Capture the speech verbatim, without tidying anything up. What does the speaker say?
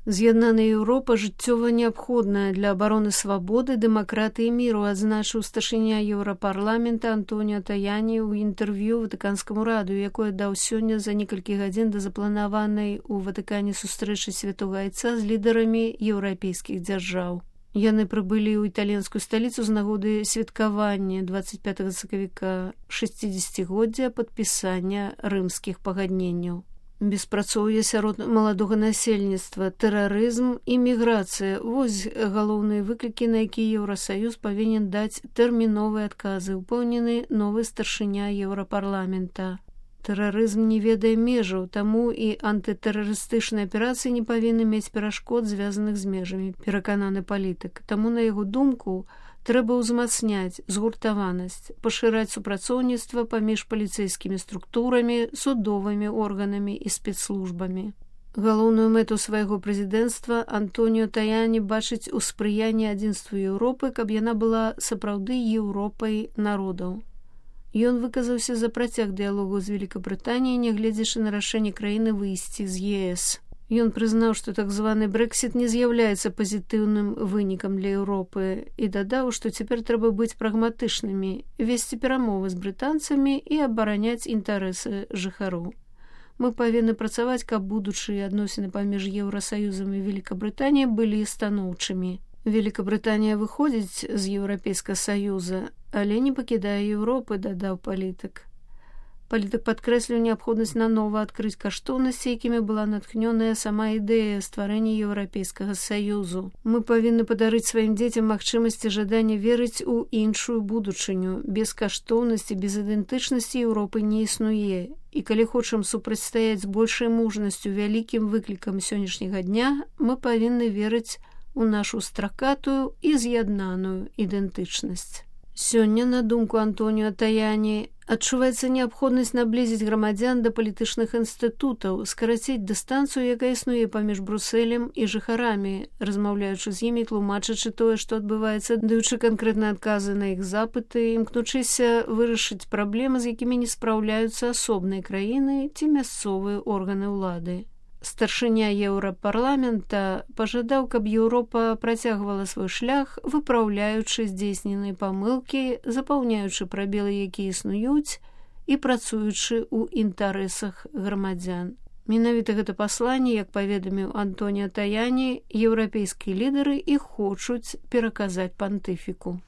З'яднаная Еўропа жыццёва неабходная для абароны свабоды, дэмакратыі і міру, адзначыў старшыня Еўрапарламента Антоніо Таяні ў інтэрв'ю Ватыканскаму радыё, якое даў сёння за некалькі гадзін да запланаванай у Ватыкане сустрэчы Святога Айца з лідарамі еўрапейскіх дзяржаў. Яны прыбылі ў італьянскую сталіцу з нагоды святкавання дваццаць пятага сакавіка шэсцідзесяцігоддзя падпісання рымскіх пагадненняў. Беспрацоўе сярод маладога насельніцтва, тэрарызм і міграцыя – вось галоўныя выклікі, на якія Еўрасаюз павінен даць тэрміновыя адказы, упэўнены новы старшыня Еўрапарламента. Тэрарызм не ведае межаў, таму і антытэрарыстычныя аперацыі не павінны мець перашкод, звязаных з межамі, перакананы палітык. Таму, на яго думку, трэба ўзмацняць згуртаванасць, пашыраць супрацоўніцтва паміж паліцэйскімі структурамі, судовымі органамі і спецслужбамі. Галоўную мэту свайго прэзідэнцтва Антоніо Таяні бачыць у спрыянні адзінству Еўропы, каб яна была сапраўды Еўропай народаў. Ён выказаўся за працяг дыялогу з Великабрытаніяй, нягледзячы на рашэнне краіны выйсці з ЕС. Ён прызнаў, што так званы Брэксіт не з'яўляецца пазітыўным вынікам для Еўропы і дадаў, што цяпер трэба быць прагматычнымі, весці перамовы з брытанцамі і абараняць інтарэсы жыхароў. Мы павінны працаваць, каб будучыя адносіны паміж Еўрасаюзам і Великабрытаніяй былі станоўчымі. Великабрытанія выходзіць з Еўрапейскага саюза, але не пакідае Еўропы, дадаў палітык. Палітык падкрэсліў неабходнасць нанова адкрыць каштоўнасці, якімі была натхнёная сама ідэя стварэння Еўрапейскага саюзу. Мы павінны падарыць сваім дзецям магчымасці жадання верыць у іншую будучыню. Без каштоўнасці, без ідэнтычнасці Еўропы не існуе. І калі хочам супрацьстаяць з большай мужнасцю вялікім выклікам сённяшняга дня, мы павінны верыць у нашу стракатую і з'яднаную ідэнтычнасць. Сёння, на думку Антоніо Таяні, адчуваецца неабходнасць наблізіць грамадзян да палітычных інстытутаў, скараціць дыстанцыю, якая існуе паміж Брусэлем і жыхарамі, размаўляючы з імі, тлумачачы тое, што адбываецца, даючы канкрэтныя адказы на іх запыты, імкнучыся вырашыць праблемы, з якімі не спраўляюцца асобныя краіны ці мясцовыя органы ўлады. Старшыня Еўрапарламента пажадаў, каб Еўропа працягвала свой шлях, выпраўляючы здзейсненыя памылкі, запаўняючы прабелы, якія існуюць, і працуючы ў інтарэсах грамадзян. Менавіта гэта пасланне, як паведаміў Антоніо Таяні, еўрапейскія лідары і хочуць пераказаць пантыфіку.